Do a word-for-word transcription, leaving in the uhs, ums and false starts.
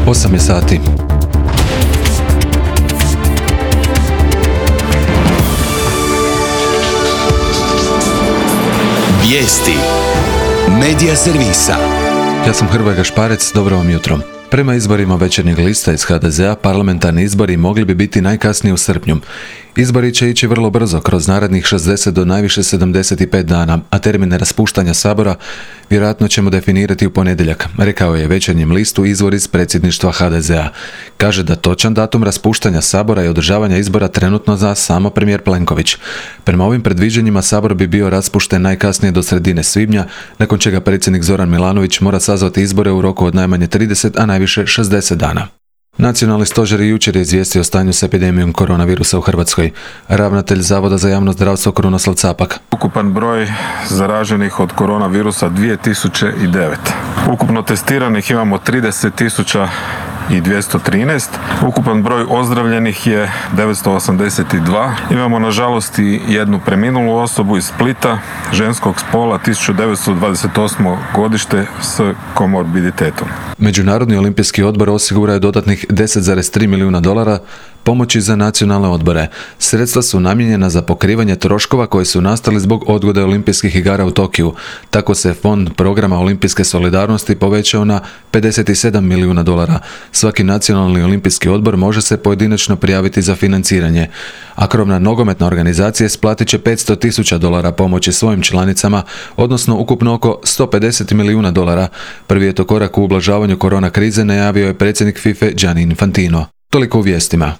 osam je sati. Vijesti Medija servisa. Ja sam Hrvoje Gašparec, dobro vam jutro. Prema izborima Večernjeg lista iz ha de zea, parlamentarni izbori mogli bi biti najkasnije u srpnju. Izbori će ići vrlo brzo, kroz narednih šezdeset do najviše sedamdeset pet dana, a termine raspuštanja Sabora vjerojatno ćemo definirati u ponedjeljak, rekao je Večernjem listu izvor iz predsjedništva ha de zea. Kaže da točan datum raspuštanja Sabora i održavanja izbora trenutno zna samo premijer Plenković. Prema ovim predviđanjima Sabor bi bio raspušten najkasnije do sredine svibnja, nakon čega predsjednik Zoran Milanović mora sazvati izbore u roku od najmanje trideset, a najviše šezdeset dana. Nacionalni stožer jučer je izvijestio o stanju s epidemijom koronavirusa u Hrvatskoj. Ravnatelj Zavoda za javno zdravstvo Krunoslav Capak. Ukupan broj zaraženih od koronavirusa dvije tisuće devet. Ukupno testiranih imamo trideset tisuća dvjesto trinaest. Ukupan broj ozdravljenih je devetsto osamdeset dva. Imamo nažalost i jednu preminulu osobu iz Splita, ženskog spola, tisuću devetsto dvadeset osmo godište s komorbiditetom. Međunarodni olimpijski odbor osigurao je dodatnih deset zarez tri milijuna dolara pomoći za nacionalne odbore. Sredstva su namijenjena za pokrivanje troškova koji su nastali zbog odgode olimpijskih igara u Tokiju. Tako se fond programa olimpijske solidarnosti povećao na pedeset sedam milijuna dolara. Svaki nacionalni olimpijski odbor može se pojedinačno prijaviti za financiranje, a krovna nogometna organizacija isplatit će petsto tisuća dolara pomoći svojim članicama, odnosno ukupno oko sto pedeset milijuna dolara. Prvi je to korak u ublažavanju korona krize, najavio je predsjednik fife Gianni Infantino. Toliko u vijestima.